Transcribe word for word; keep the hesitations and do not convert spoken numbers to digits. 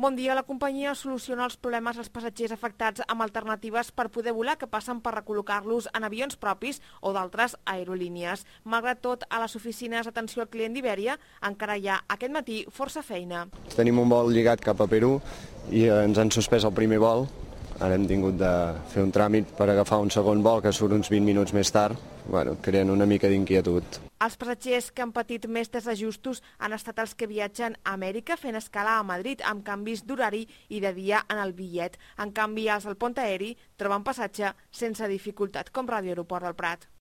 Bon dia, la companyia soluciona els problemes als passatgers afectats amb alternatives per poder volar que passen per recol·locar-los en avions propis o d'altres aerolínies. Malgrat tot, a les oficines d'atenció al client d'Ibèria encara hi ha aquest matí força feina. Tenim un vol lligat cap a Perú i ens han suspès el primer vol. Ara hem tingut de fer un tràmit per agafar un segon vol que surt uns vint minuts més tard, bueno, creant una mica d'inquietud. Els passatgers que han patit més desajustos han estat els que viatgen a Amèrica fent escala a Madrid amb canvis d'horari i de dia en el bitllet. En canvi, els del pont aeri troben passatge sense dificultat, com Ràdio Aeroport del Prat.